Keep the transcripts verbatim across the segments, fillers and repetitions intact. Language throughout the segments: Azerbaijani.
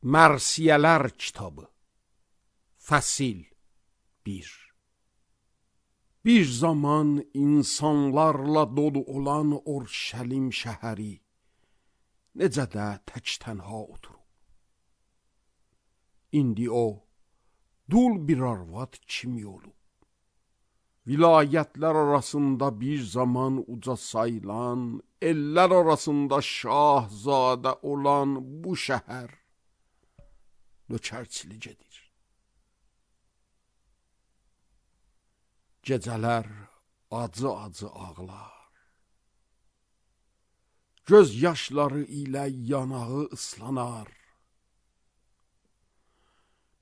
Mərsiyələr kitabı Fəsil bir. Bir zaman insanlarla dolu olan Urşəlim şəhəri necə də tək tənha oturub. İndi o dul bir arvad kimi olub. Vilayətlər arasında bir zaman uca sayılan, ellər arasında şahzadə olan bu şəhər nökərçilik edir. Gecələr acı-acı ağlar. Göz yaşları ilə yanağı ıslanar.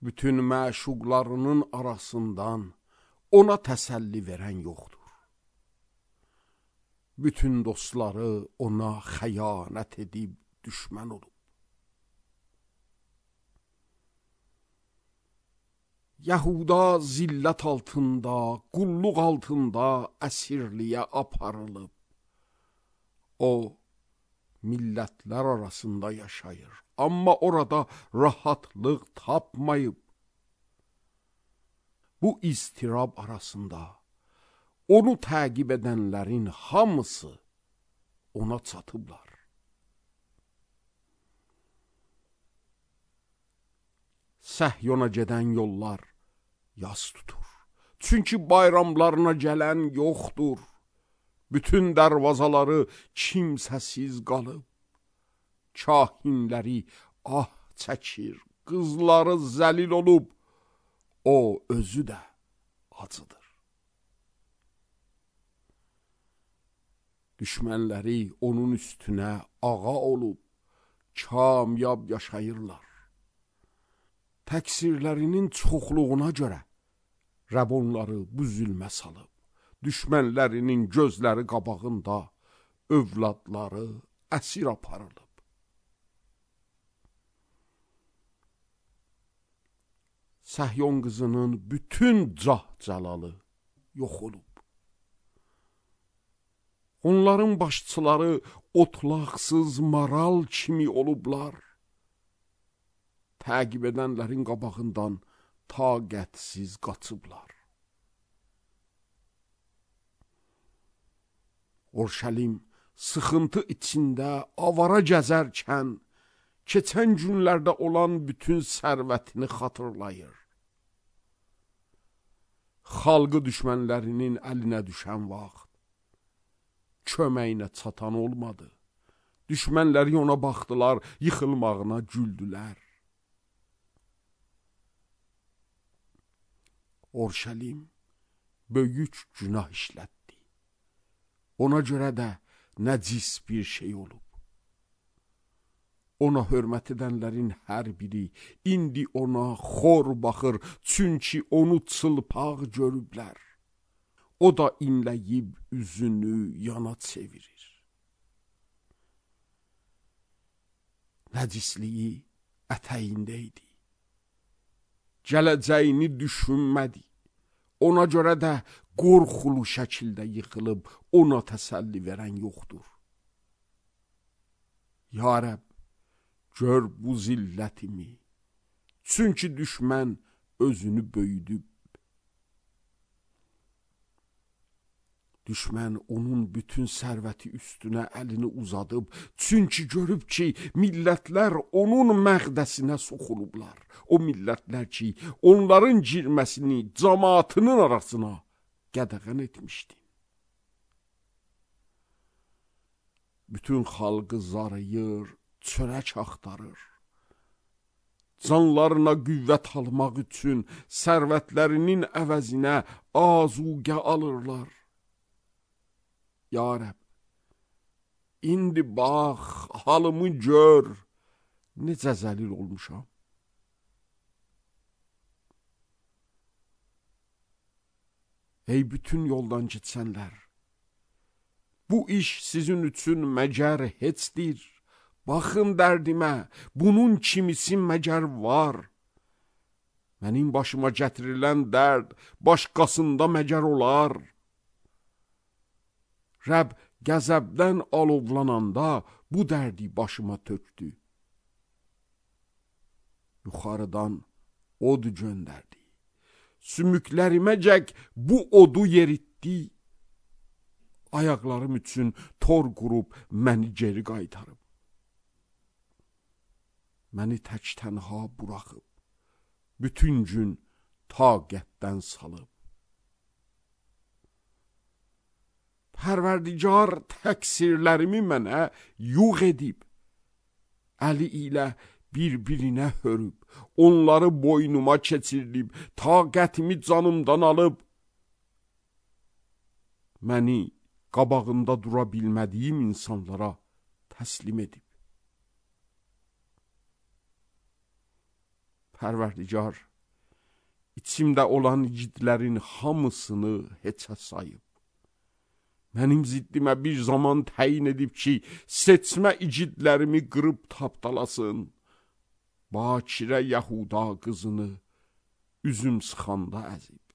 Bütün məşuqlarının arasından ona təsəlli verən yoxdur. Bütün dostları ona xəyanət edib düşmən olub. Yahuda zillət altında, qulluq altında əsirliyə aparılıb. O, millətlər arasında yaşayır, amma orada rahatlıq tapmayıb. Bu istirab arasında onu təqib edənlərin hamısı ona çatıblar. Səhyona gedən yollar yas tutur. Çünki bayramlarına gələn yoxdur. Bütün dərvazaları kimsəsiz qalıb. Kahinləri ah çəkir, qızları zəlil olub. O özü də acıdır. Düşmənləri onun üstünə ağa olub, kamyab yaşayırlar. Təqsirlərinin çoxluğuna görə Rəbb onları bu zülmə salıb. Düşmənlərinin gözləri qabağında övladları əsir aparılıb. Səhyon qızının bütün cah-cəlalı yox olub. Onların başçıları otlaqsız maral kimi olublar. Təqib edənlərin qabağından taqətsiz qaçıblar. Urşəlim sıxıntı içində avara gəzərkən, keçən günlərdə olan bütün sərvətini xatırlayır. Xalqı düşmənlərinin əlinə düşən vaxt, köməyinə çatan olmadı. Düşmənləri ona baxdılar, yıxılmağına güldülər. Urşəlim böyük günah işlətdi. Ona görə də nəcis bir şey olub. Ona hörmət edənlərin hər biri indi ona xor baxır, çünki onu çılpaq görüblər. O da inləyib üzünü yana çevirir. Nəcisliyi ətəyində idi. Gələcəyini düşünmədi. Ona görə də qorxulu şəkildə yıxılıb, ona təsəlli verən yoxdur. Ya Rəbb, gör bu zillətimi, çünki düşmən özünü böyüdüb. Düşmən onun bütün sərvəti üstünə əlini uzadıb, çünki görüb ki, millətlər onun məqdəsinə soxulublar. O millətlər ki, onların girməsini cəmaatının arasına qədəğən etmişdi. Bütün xalqı zarıyır, çörək axtarır. Canlarına qüvvət almaq üçün sərvətlərinin əvəzinə azuqə alırlar. Ya Rəbb, indi bax, halımı gör, necə zəlil olmuşam. Ey bütün yoldan getsənlər, bu iş sizin üçün məgər heçdir. Baxın dərdimə, bunun kimisi məgər var. Mənim başıma gətirilən dərd başqasında məgər olar. Rəbb qəzəbdən alovlananda bu dərdi başıma tökdü. yuxarıdan od göndərdi. Sümükləriməcək bu odu yeritdi. Ayaqlarım üçün tor qurub məni geri qaytarıb. Məni tək tənha buraxıb, bütün gün taqətdən salıb. Pərverdigar təqsirlərimi mənə yuğ edib, əli ilə bir-birinə hörüb, onları boynuma keçirdib, taqətimi canımdan alıb, məni qabağında dura bilmədiyim insanlara təslim edib. Pərverdigar, içimdə olan igidlərin hamısını heçə sayıb. Mənim ziddimə bir zaman təyin edib ki, seçmə igidlərimi qırıb tapdalasın. Bakirə Yahuda qızını üzüm sıxanda əzib.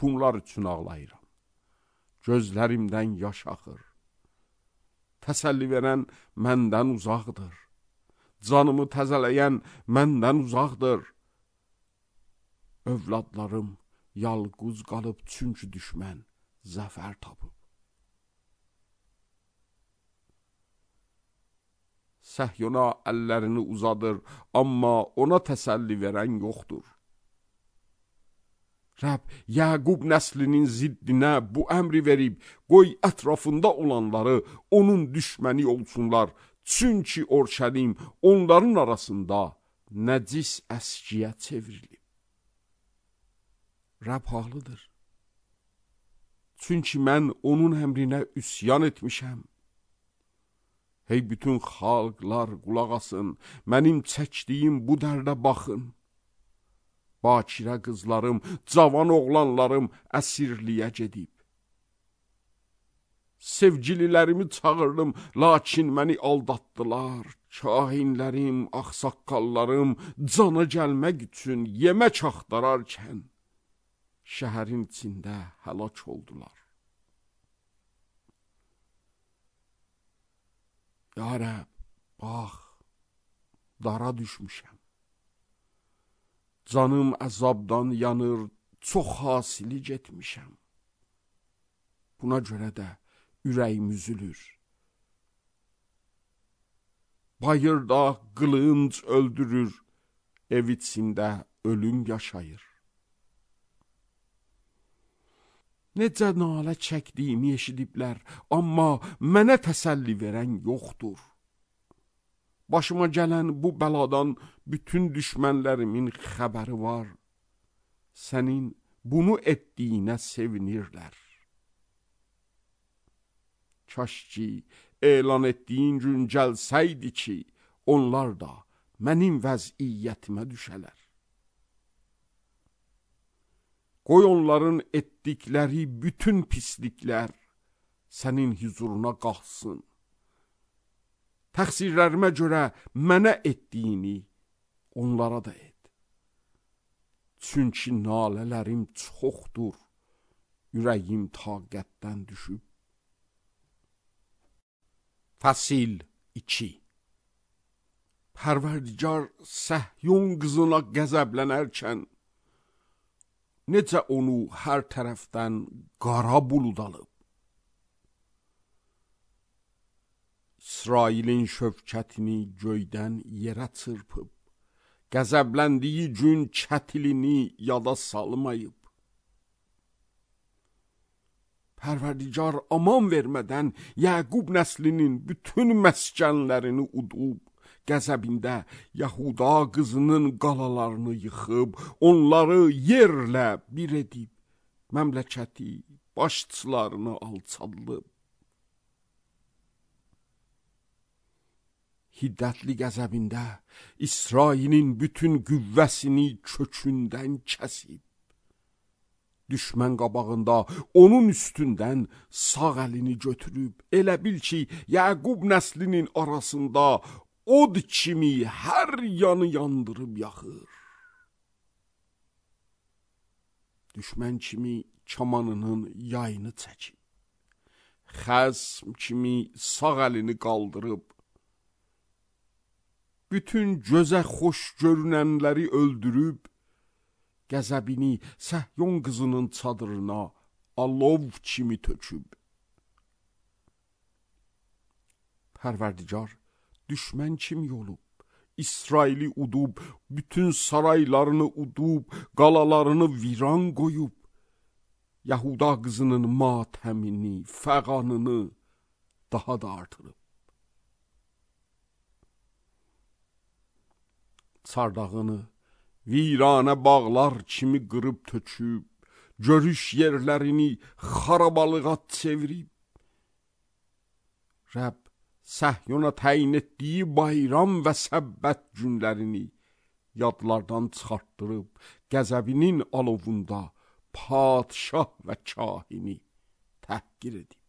Bunlar üçün ağlayıram. Gözlərimdən yaş axır. Təsəlli verən məndən uzaqdır. Canımı təzələyən məndən uzaqdır. Övladlarım yalquz qalıb, çünki düşmən zəfər tapıb. Səhyona əllərini uzadır, amma ona təsəlli verən yoxdur. Rəbb, Yaqub nəslinin ziddinə bu əmri verib, qoy ətrafında olanları onun düşməni olsunlar, çünki Orşəlim onların arasında nəcis əskiyə çevrilib. Rəbb haqlıdır. Çünki mən onun əmrinə üsyan etmişəm. Hey bütün xalqlar qulaq asın, mənim çəkdiyim bu dərdə baxın. Bakirə qızlarım, cavan oğlanlarım əsirliyə gedib. Sevgililərimi çağırdım, lakin məni aldatdılar. Kahinlərim, ağsaqqallarım cana gəlmək üçün yemək axtararkən şəhərin içində həlak oldular. Ya Rəbb, bax, dara düşmüşəm. Canım əzabdan yanır, çox hasili getmişəm. Buna görə də ürəyim üzülür. Bayırda qılınc öldürür, ev içində ölüm yaşayır. Necə nalə çəkdiyimi eşidiblər, amma mənə təsəlli verən yoxdur. Başıma gələn bu bəladan bütün düşmənlərimin xəbəri var. Sənin bunu etdiyinə sevinirlər. Kaş ki, elan etdiyin gün gəlsəydi ki, onlar da mənim vəziyyətimə düşələr. Qoy onların etdikləri bütün pisliklər sənin huzuruna qalxsın. Təqsirlərimə görə mənə etdiyini onlara da et. Çünki nalələrim çoxdur, ürəyim taqətdən düşüb. Fəsil iki. Pərverdigar Səhyun qızına qəzəblənərkən, necə onu hər tərəfdən qara bulud alıb. İsrailin şövkətini göydən yerə çırpıb, qəzəbləndiyi gün kətilini yada salmayıb. Pərverdigar aman vermədən Yaqub nəslinin bütün məskənlərini udub, qəzəbində Yahuda qızının qalalarını yıxıb, onları yerlə bir edib, məmləkəti başçılarını alçaldıb. Hiddətli qəzəbində İsrailin bütün qüvvəsini kökündən kəsib. Düşmən qabağında onun üstündən sağ əlini götürüb, elə bil ki, Yaqub nəslinin arasında od kimi hər yanı yandırıb yaxır. Düşmən kimi kamanının yayını çəkib, xəsm kimi sağ əlini qaldırıb, bütün gözə xoş görünənləri öldürüb, qəzəbini Səhyon qızının çadırına alov kimi töküb. Pərverdigar düşmən kimi olub, İsraili udub, bütün saraylarını udub, qalalarını viran qoyub, Yahuda qızının matəmini, fəğanını daha da artırıb. Çardağını viranə bağlar kimi qırıb töküb, görüş yerlərini xarabalığa çevirib. Rəbb Səhyona təyin etdiyi bayram və səbbət günlərini yadlardan çıxartdırıb, qəzəbinin alovunda padşah və kahini təhqir edib.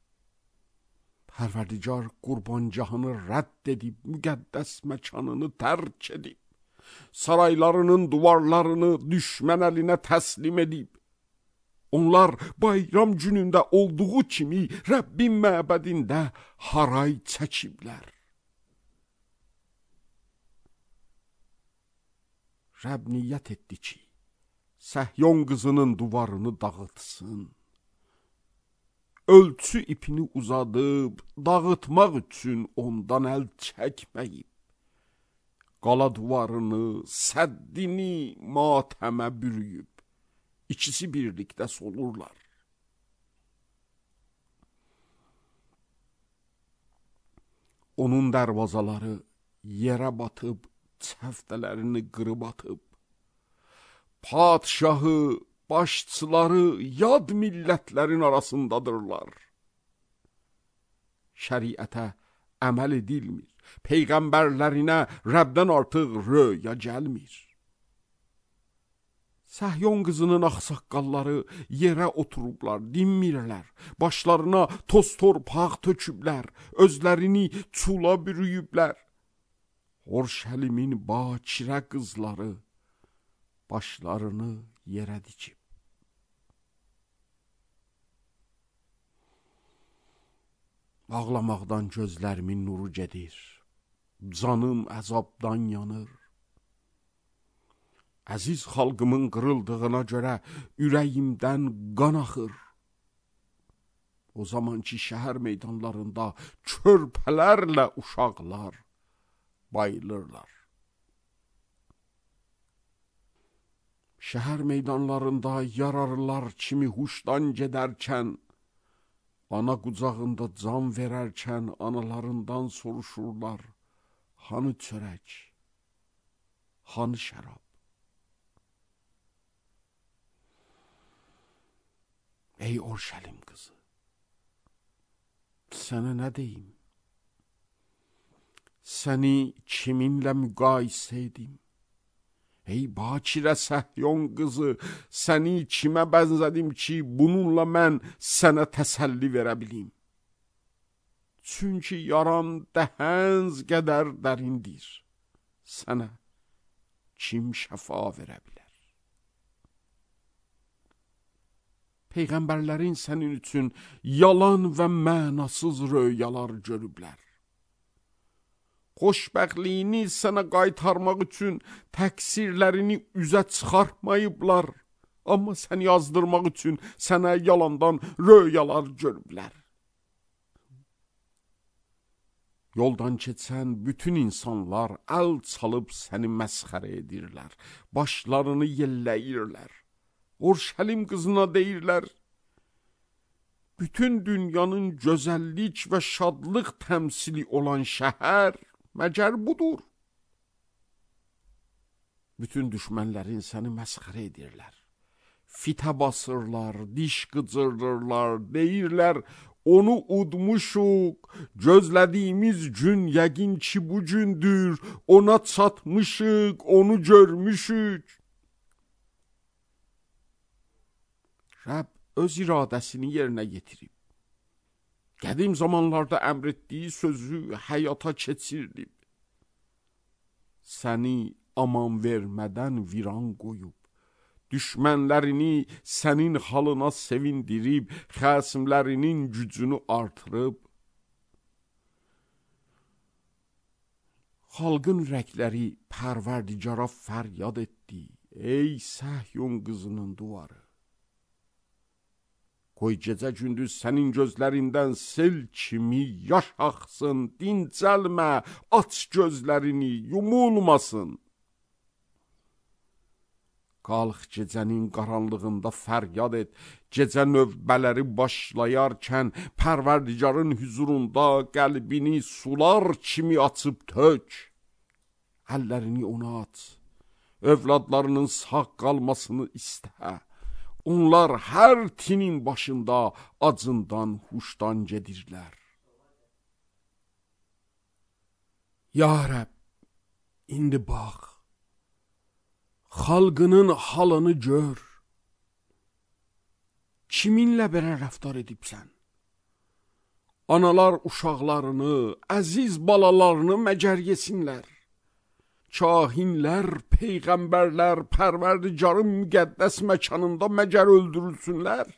Pərverdigar qurbancahını rədd edib, müqəddəs məkanını tərk edib, saraylarının duvarlarını düşmən əlinə təslim edib. Onlar bayram günündə olduğu kimi Rəbbin məbədində haray çəkiblər. Rəbb niyyət etdi ki, Səhyon qızının duvarını dağıtsın. Ölçü ipini uzadıb, dağıtmaq üçün ondan əl çəkməyib. Qala duvarını, səddini matəmə bürüyüb. İkisi birlikdə solurlar. Onun dərvazaları yerə batıb, çəftələrini qırıb atıb. Padşahı, başçıları yad millətlərin arasındadırlar. Şəriətə əməl edilmir, peyğəmbərlərinə Rəbdən artıq röya gəlmir. Səhyon qızının ağsaqqalları yerə oturublar, dinmirlər, başlarına toz torpaq töküblər, özlərini çula bürüyüblər. Orşəlimin bakirə qızları başlarını yerə dikib. Ağlamaqdan gözlərimin nuru gedir, canım əzabdan yanır. Əziz xalqımın qırıldığına görə ürəyimdən qan axır. O zaman ki, şəhər meydanlarında körpələrlə uşaqlar bayılırlar. Şəhər meydanlarında yararlar kimi huşdan gedərkən, ana qucağında can verərkən analarından soruşurlar, hanı çörək, hanı şərab? Ey Orşəlim qızı, sənə nə deyim? Səni kiminlə müqayisə edim? Ey bakirə Səhyon qızı, səni kimə bənzədim ki, bununla mən sənə təsəlli verə bilim? Çünki yaran dəhənz qədər dərindir, sənə kim şəfa verə bilər? Peyğəmbərlərin sənin üçün yalan və mənasız röyalar görüblər. Xoşbəxtliyini sənə qaytarmaq üçün təqsirlərini üzə çıxartmayıblar, amma səni yazdırmaq üçün sənə yalandan röyalar görüblər. Yoldan keçən bütün insanlar əl çalıb səni məsxərə edirlər, başlarını yelləyirlər. Orşəlim qızına deyirlər, bütün dünyanın gözəllik və şadlıq təmsili olan şəhər məgər budur. Bütün düşmənlərin səni məsxərə edirlər. Fitə basırlar, diş qıcırdırlar, deyirlər, onu udmuşuq, gözlədiyimiz gün yəqin ki bu gündür, ona çatmışıq, onu görmüşük. Rəbb öz iradəsini yerinə yetirib. Qədim zamanlarda əmr etdiyi sözü həyata keçirdib. Səni aman vermədən viran qoyub, düşmənlərini sənin halına sevindirib, xəsimlərinin gücünü artırıb, Xalqın ürəkləri Pərverdigara fəryad etdi. Ey Səhyun qızının duvarı. Qoy gecə gündüz sənin gözlərindən sel kimi yaş axsın, dincəlmə, aç gözlərini, yumulmasın. Qalx gecənin qaranlığında fəryad et, gecə növbələri başlayarkən Pərverdigarın hüzurunda qəlbini sular kimi açıb tök. Əllərini ona at, övladlarının sağ qalmasını istə. Onlar hər tinin başında acından, huşdan gedirlər. Ya Rəbb, indi bax, xalqının halını gör. Kiminlə belə rəftar edibsən? Analar uşaqlarını, əziz balalarını məgər yesinlər. Kahinlər, peyğəmbərlər Pərverdigarın müqəddəs məkanında məgər öldürülsünlər?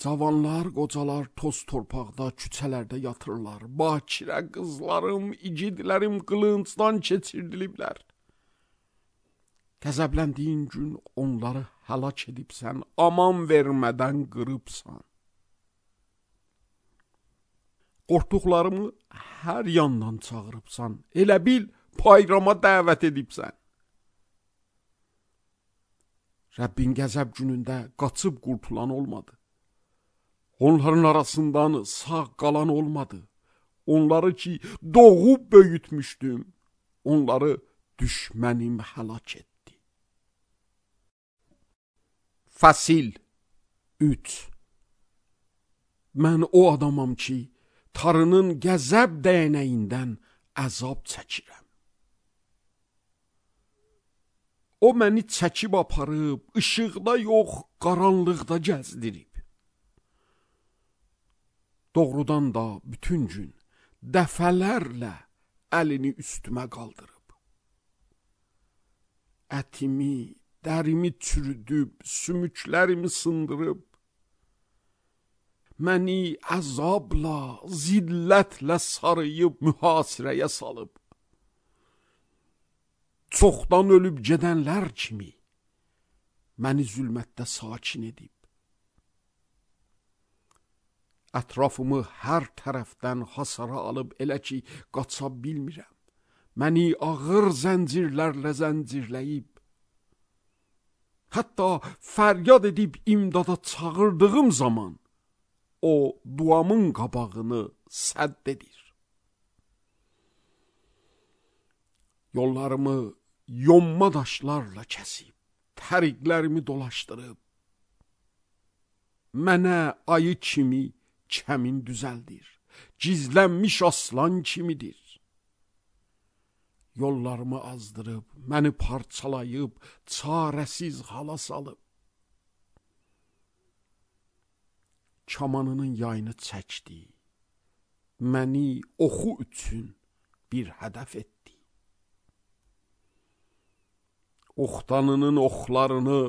Cavanlar, qocalar toz torpaqda, küçələrdə yatırlar. Bakirə qızlarım, igidlərim qılıncdan keçirdiliblər. Qəzəbləndiyin gün onları həlak edibsən, aman vermədən qırıbsan. Qorxduqlarımı hər yandan çağırıbsan, elə bil bayrama dəvət edibsən. Rəbbin qəzəb günündə qaçıb qurtulan olmadı. Onların arasından sağ qalan olmadı. Onları ki doğub böyütmüşdüm, onları düşmənim həlak etdi. Fəsil üç. Mən o adamam ki, Tarının qəzəb dəyənəyindən əzab çəkirəm. O məni çəkib aparıb, işıqda yox, qaranlıqda gəzdirib. Doğrudan da bütün gün dəfələrlə əlini üstümə qaldırıb. Ətimi, dərimi çürüdüb, sümüklərimi sındırıb, məni əzabla, zillətlə sarıyıb, mühasirəyə salıb. Çoxdan ölüb gedənlər kimi məni zülmətdə sakin edib. Ətrafımı hər tərəfdən hasara alıb elə ki, qaça bilmirəm. Məni ağır zəncirlərlə zəncirləyib. Hətta fəryad edib imdada çağırdığım zaman o duamın qabağını sədd edir. Yollarımı yonma daşlarla kəsib, təriqlərimi dolaşdırıb, mənə ayı kimi kəmin düzəldir, gizlənmiş aslan kimidir. Yollarımı azdırıb, məni parçalayıb, çarəsiz hala salıb. Kamanının yayını çəkdi, məni oxu üçün bir hədəf etdi. Oxtanının oxlarını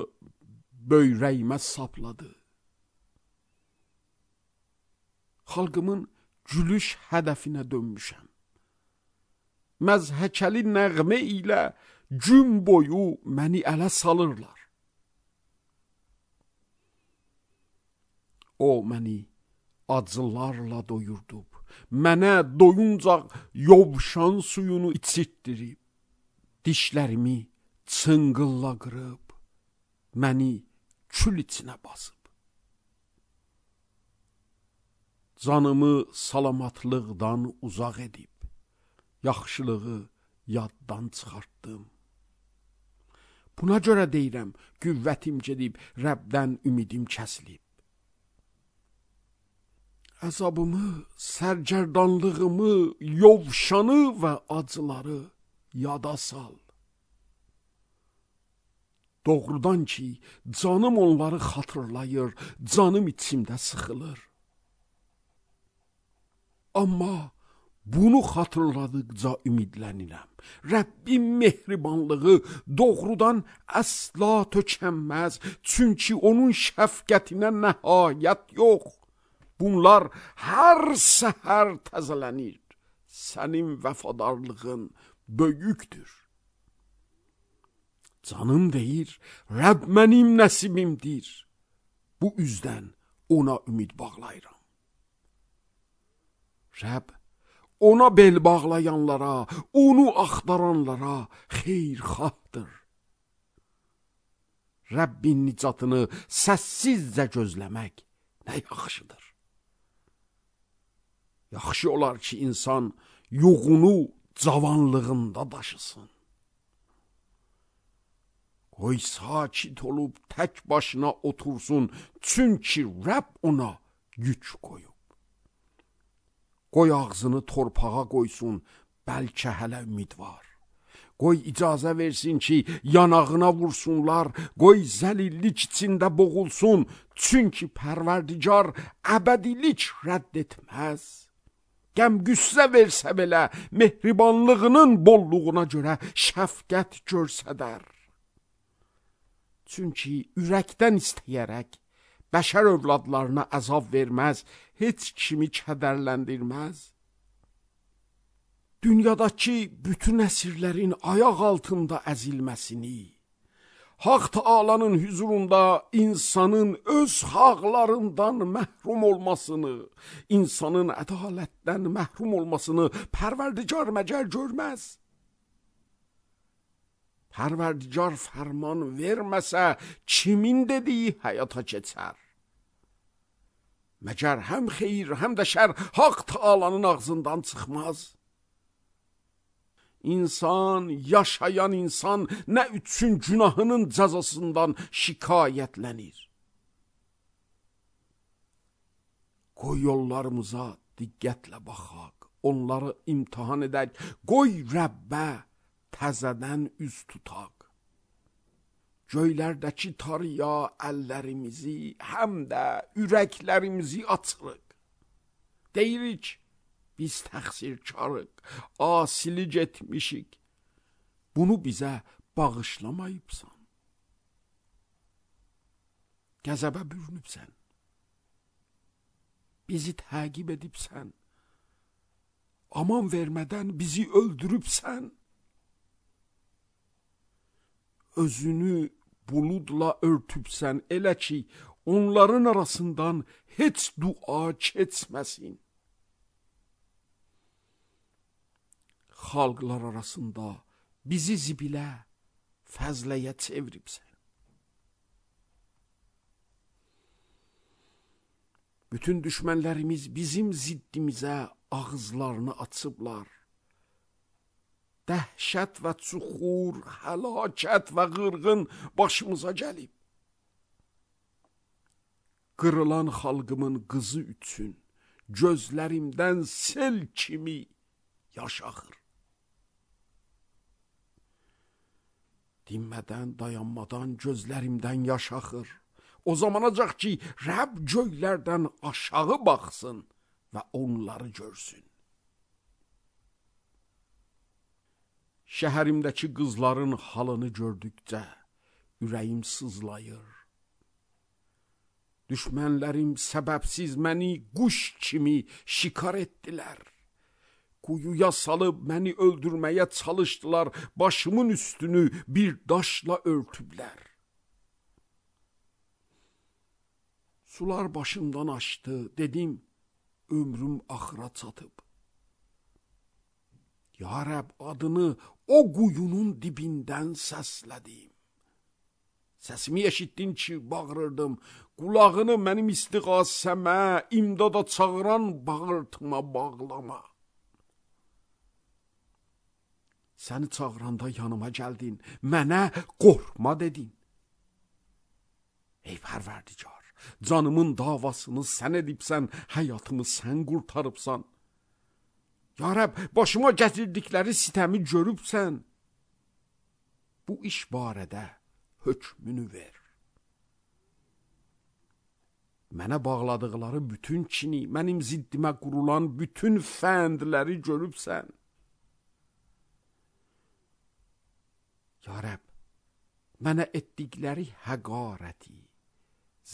böyrəyimə sapladı. Xalqımın gülüş hədəfinə dönmüşəm. Məzhəkəli nəğmə ilə gün boyu məni ələ salırlar. O məni acılarla doyurdub, mənə doyuncaq yovşan suyunu içirtdirib, dişlərimi çınqılla qırıb, məni kül içinə basıb. Canımı salamatlıqdan uzaq edib, yaxşılığı yaddan çıxartdım. Buna görə deyirəm, qüvvətim gedib, Rəbdən ümidim kəsilib. Əzabımı, sərgərdanlığımı, yovşanı və acıları yada sal. Doğrudan ki, canım onları xatırlayır, canım içimdə sıxılır. Amma bunu xatırladıqca ümidlənirəm. Rəbbin mehribanlığı doğrudan əsla tökənməz, çünki onun şəfqətinə nəhayət yox. Bunlar hər səhər təzələnir. sənin vəfadarlığın böyükdür. Canım deyir, Rəbb mənim nəsibimdir. Bu üzdən ona ümid bağlayıram. Rəbb ona bel bağlayanlara, onu axtaranlara xeyirxahdır. Rəbbin nicatını səssizcə gözləmək nə yaxşıdır. Yaxşı olar ki, insan yoğunu cavanlığında daşısın. Qoy sakit olub tək başına otursun, çünki Rəbb ona güc qoyub. Qoy ağzını torpağa qoysun, bəlkə hələ ümid var. Qoy icazə versin ki, yanağına vursunlar, qoy zəlillik içində boğulsun, çünki Pərverdigar əbədilik rədd etməz. Qəm qüssə versə belə, mehribanlığının bolluğuna görə şəfqət görsədər. Çünki ürəkdən istəyərək, bəşər övladlarına əzab verməz, heç kimi kədərləndirməz. Dünyadakı bütün əsirlərin ayaq altında əzilməsini, Haq Taalanın hüzurunda insanın öz haqlarından məhrum olmasını, insanın ədalətdən məhrum olmasını Pərverdigar məgər görməz. Pərverdigar fərman verməsə, kimin dediyi həyata keçər? Məgər həm xeyir, həm də şər Haq Taalanın ağzından çıxmaz. İnsan, yaşayan insan nə üçün günahının cəzasından şikayətlənir? Qoy yollarımıza diqqətlə baxaq, onları imtihan edək, qoy Rəbbə təzədən üz tutaq. Göylərdəki tarıya əllərimizi, həm də ürəklərimizi açırıq. Deyirik, biz təqsirkarıq, asilik etmişik. Bunu bizə bağışlamayıbsan. Qəzəbə bürünübsən. Bizi təqib edibsən. Aman vermədən bizi öldürübsən. Özünü buludla örtübsən, elə ki, onların arasından heç dua keçməsin. Xalqlar arasında bizi zibilə, fəzləyə çeviribsən. Bütün düşmənlərimiz bizim ziddimizə ağızlarını açıblar. Dəhşət və çuxur, həlakət və qırğın başımıza gəlib. Qırılan xalqımın qızı üçün gözlərimdən sel kimi yaş axır. Dinmədən, dayanmadan gözlərimdən yaş axır. O zamanacaq ki, Rəbb göylərdən aşağı baxsın və onları görsün. Şəhərimdəki qızların halını gördükcə ürəyim sızlayır. Düşmənlərim səbəbsiz məni quş kimi şikar etdilər. Quyuya salıb məni öldürməyə çalışdılar, başımın üstünü bir daşla örtüblər. Sular başımdan aşdı, dedim, ömrüm axıra çatıb. Ya Rəbb, adını o quyunun dibindən səslədim. Səsimi eşitdin ki, bağırırdım, qulağını mənim istiğasəmə, imdada çağıran bağırtıma bağlama. Səni çağıranda yanıma gəldin, mənə qorxma dedin. Ey Pərverdigar, canımın davasını sən edibsən, həyatımı sən qurtarıbsan. Ya Rəbb, başıma gətirdikləri sitəmi görübsən. Bu iş barədə hökmünü ver. Mənə bağladıqları bütün kini, mənim ziddimə qurulan bütün fəndləri görübsən. Ya Rəbb, mənə etdikləri həqarəti,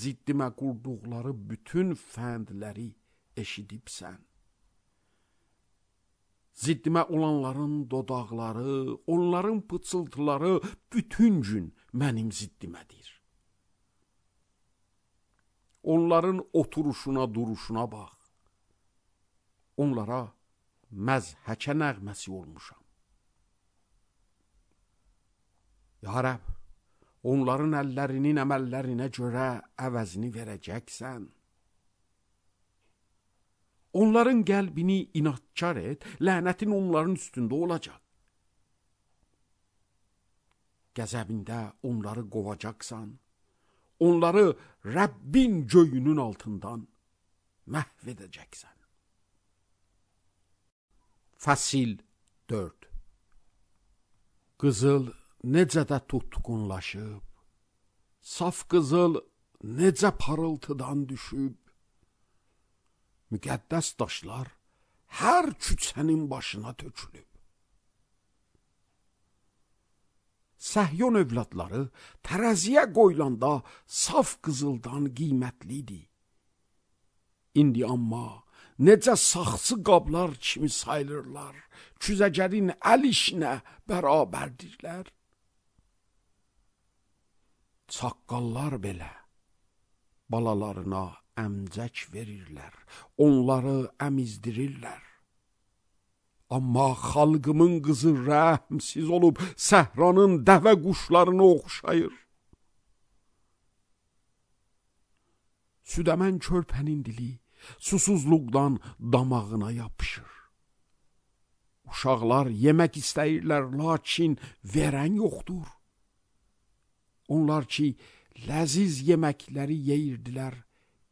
ziddimə qurduqları bütün fəndləri eşidibsən. Ziddimə olanların dodaqları, onların pıçıltıları bütün gün mənim ziddimədir. Onların oturuşuna, duruşuna bax. Onlara məzhəkə nəğməsi olmuşam. Ya Rəbb, onların əllərinin əməllərinə görə əvəzini verəcəksən. Onların qəlbini inadkar et, lənətin onların üstündə olacaq. Qəzəbində onları qovacaqsan, onları Rəbbin göyünün altından məhv edəcəksən. Fəsil dörd. Qızıl necə də tutqunlaşıb, saf qızıl necə parıltıdan düşüb, müqəddəs daşlar hər küçənin başına tökülüb. Səhyon övladları tərəziyə qoyulanda saf qızıldan qiymətlidir. İndi amma necə saxsı qablar kimi sayılırlar, küzəcərin əl işinə bərabərdirlər. Çaqqallar belə balalarına əmcək verirlər, onları əmizdirirlər. Amma xalqımın qızı rəhmsiz olub, səhranın dəvə quşlarını oxşayır. Südəmən körpənin dili susuzluqdan damağına yapışır. Uşaqlar yemək istəyirlər, lakin verən yoxdur. Onlar ki, ləziz yeməkləri yeyirdilər,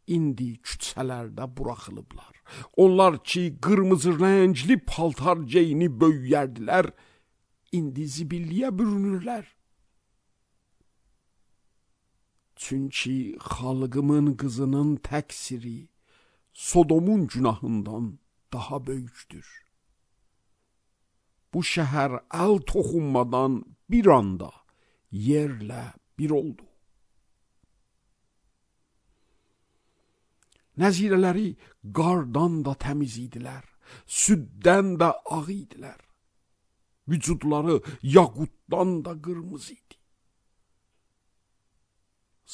indi küçələrdə buraxılıblar. Onlar ki, qırmızı rəngli paltar geyinib böyüyərdilər, indi zibilliyə bürünürlər. Çünki xalqımın qızının təqsiri Sodomun günahından daha böyükdür. Bu şəhər əl toxunmadan bir anda yerlə bir oldu. Nəzirələri qardan da təmiz idilər, süddən də ağ idilər. Vücudları yaqutdan da qırmızı idi.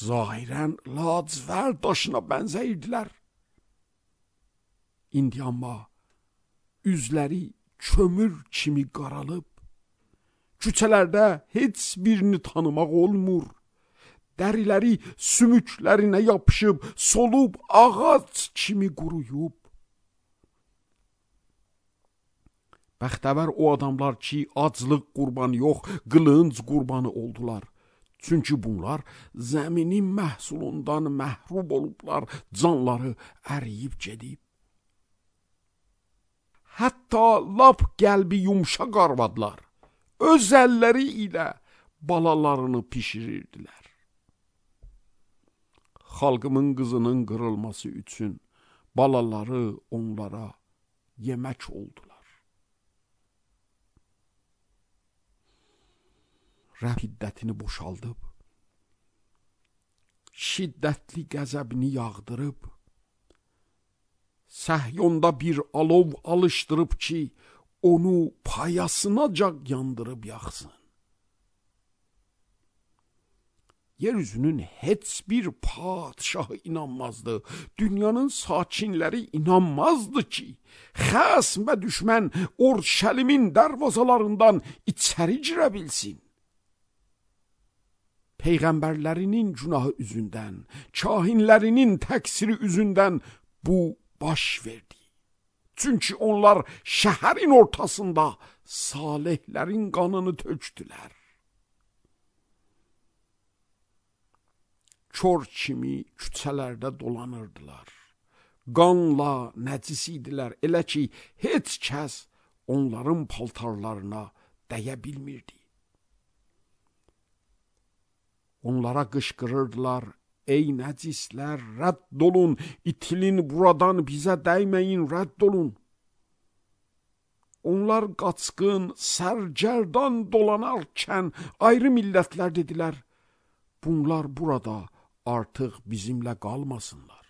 Zahirən lacivər daşına bənzəyirdilər. İndi amma üzləri kömür kimi qaralıb, küçələrdə heç birini tanımaq olmur. Dəriləri sümüklərinə yapışıb, solub ağac kimi quruyub. Bəxtəvər o adamlar ki, aclıq qurbanı yox, qılınc qurbanı oldular. Çünki bunlar zəminin məhsulundan məhrum olublar, canları əriyib gedib. Hətta lap qəlbi yumşaq arvadlar öz əlləri ilə balalarını pişirirdilər. Xalqımın qızının qırılması üçün balaları onlara yemək oldular. Rəbb hiddətini boşaldıb, şiddətli qəzəbini yağdırıb, Səhyonda bir alov alışdırıb ki, onu payasınacac yandırıb yaxsın. Yeryüzünün heç bir padişahı inanmazdı, dünyanın sakinləri inanmazdı ki, xəsm və düşmən Orşəlimin dərvazalarından içəri girə bilsin. Peyğəmbərlərinin günahı üzündən, kahinlərinin təqsiri üzündən bu baş verdi. Çünki onlar şəhərin ortasında salihlərin qanını tökdülər. Kör kimi küçələrdə dolanırdılar. Qanla nəcis idilər, elə ki, heç kəs onların paltarlarına dəyə bilmirdi. Onlara qışqırırdılar, ey nəcislər, rədd olun, itilin buradan, bizə dəyməyin, rədd olun. Onlar qaçqın, sərgərdan dolanarkən ayrı millətlər dedilər, bunlar burada artıq bizimlə qalmasınlar.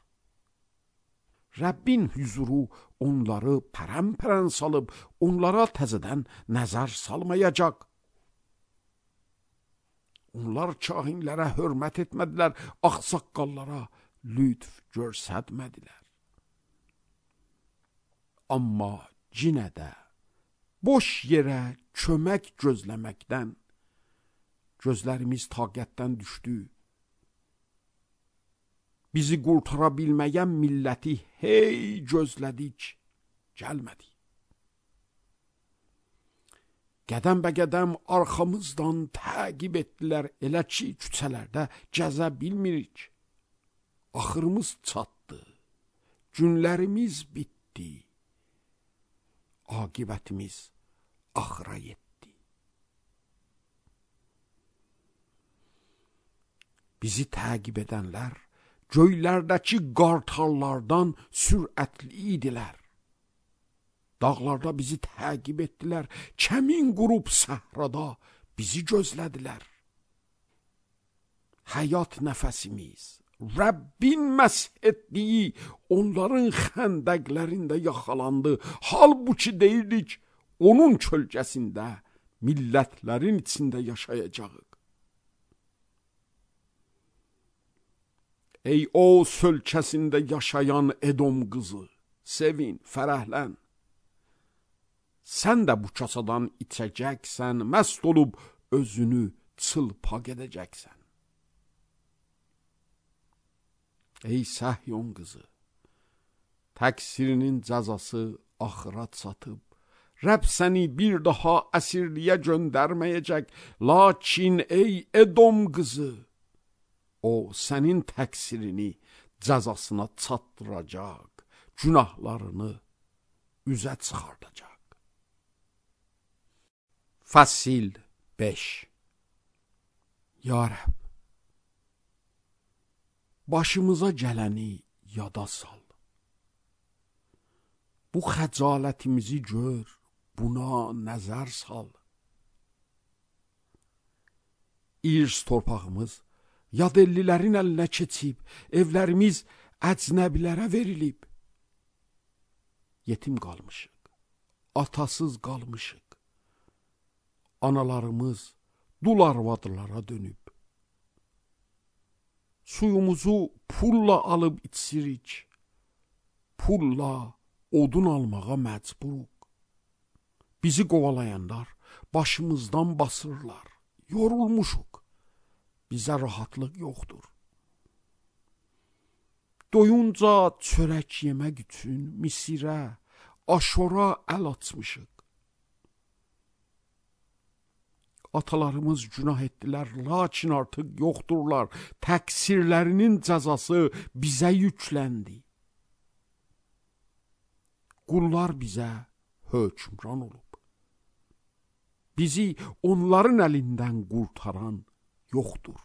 Rəbbin hüzuru onları pərən-pərən salıb, onlara təzədən nəzər salmayacaq. Onlar kahinlərə hörmət etmədilər, ağsaqqallara lütf görsətmədilər. Amma yenə də boş yerə kömək gözləməkdən gözlərimiz taqətdən düşdü. Bizi qurtara bilməyən milləti hey gözlədik, gəlmədi. Qədəm bə qədəm arxamızdan təqib etdilər, elə ki, küçələrdə gəzə bilmirik. Axırımız çatdı, günlərimiz bitdi, aqibətimiz axıra yetdi. Bizi təqib edənlər göylərdəki qartallardan sürətli idilər. Dağlarda bizi təqib etdilər, kəmin qurub səhrada bizi gözlədilər. Həyat nəfəsimiz, Rəbbin məsh etdiyi onların xəndəqlərində yaxalandı. Halbuki deyirdik, onun kölgəsində millətlərin içində yaşayacağıq. Ey o sölkəsində yaşayan Edom qızı, sevin, fərəhlən. Sən də bu kasadan içəcəksən, məst olub özünü çılpaq edəcəksən. Ey Səhyon qızı, təqsirinin cəzası axıra çatıb, Rəbb səni bir daha əsirliyə göndərməyəcək. Lakin ey Edom qızı, o sənin təqsirini cəzasına çatdıracaq, günahlarını üzə çıxardacaq. Fəsil beş. Ya Rəbb, başımıza gələni yada sal. Bu xəcalətimizi gör, buna nəzər sal. İrs torpağımız yadellilərin əlinə keçib, evlərimiz əcnəbilərə verilib. Yetim qalmışıq, atasız qalmışıq. Analarımız dul arvadlara dönüb. Suyumuzu pulla alıb içirik. Pulla odun almağa məcburuq. Bizi qovalayanlar başımızdan basırlar. Yorulmuşuq. Bizə rahatlıq yoxdur. Doyunca çörək yemək üçün Misirə, Aşora əl açmışıq. Atalarımız günah etdilər, lakin artıq yoxdurlar. Təqsirlərinin cəzası bizə yükləndi. Qullar bizə hökmran olub. Bizi onların əlindən qurtaran yoxdur.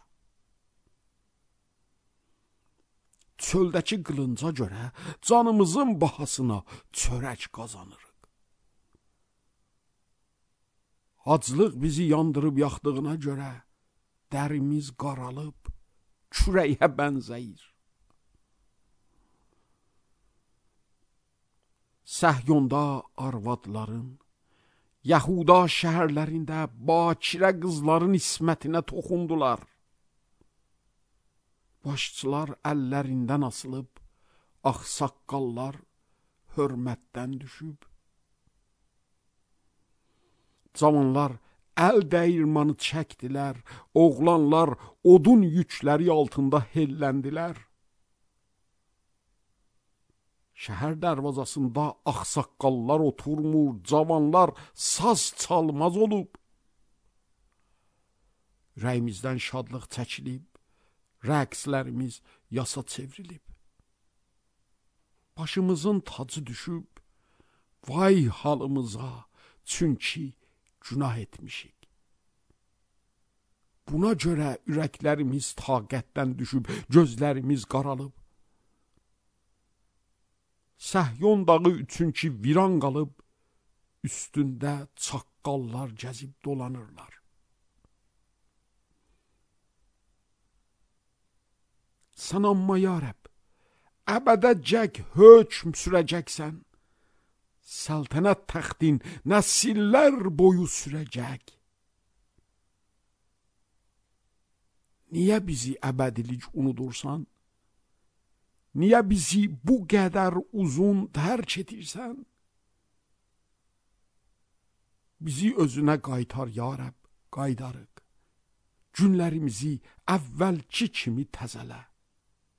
Çöldəki qılınca görə canımızın bahasına çörək qazanırıq. Aclıq bizi yandırıb yaxdığına görə dərimiz qaralıb, kürəyə bənzəyir. Səhyonda arvadların, Yahuda şəhərlərində bakirə qızların ismətinə toxundular. Başçılar əllərindən asılıb, ağsaqqallar hörmətdən düşüb. Cavanlar əl dəyirmanı çəkdilər, oğlanlar odun yükləri altında helləndilər. Şəhər dərvazasında ağsaqqallar oturmur, cavanlar saz çalmaz olub. Ürəyimizdən şadlıq çəkilib, rəqslərimiz yasa çevrilib. Başımızın tacı düşüb, vay halımıza, çünki günah etmişik. Buna görə ürəklərimiz taqətdən düşüb, gözlərimiz qaralıb. Səhyon dağı üçünkü viran qalıb, üstündə çaqqallar gəzib dolanırlar. Sən amma ya Rəbb, əbədəcək hökm sürəcəksən. Səltənət təxtin nəsillər boyu sürəcək. Niyə bizi əbədilik unudursan? Niyə bizi bu qədər uzun tərk edirsən? Bizi özünə qaytar ya Rəbb, qaydarıq. Günlərimizi əvvəlki kimi təzələ.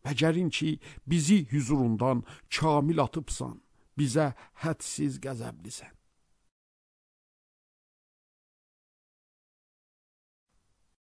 Bəcərin ki, bizi hüzurundan kamil atıbsan, bizə hədsiz qəzəblisən.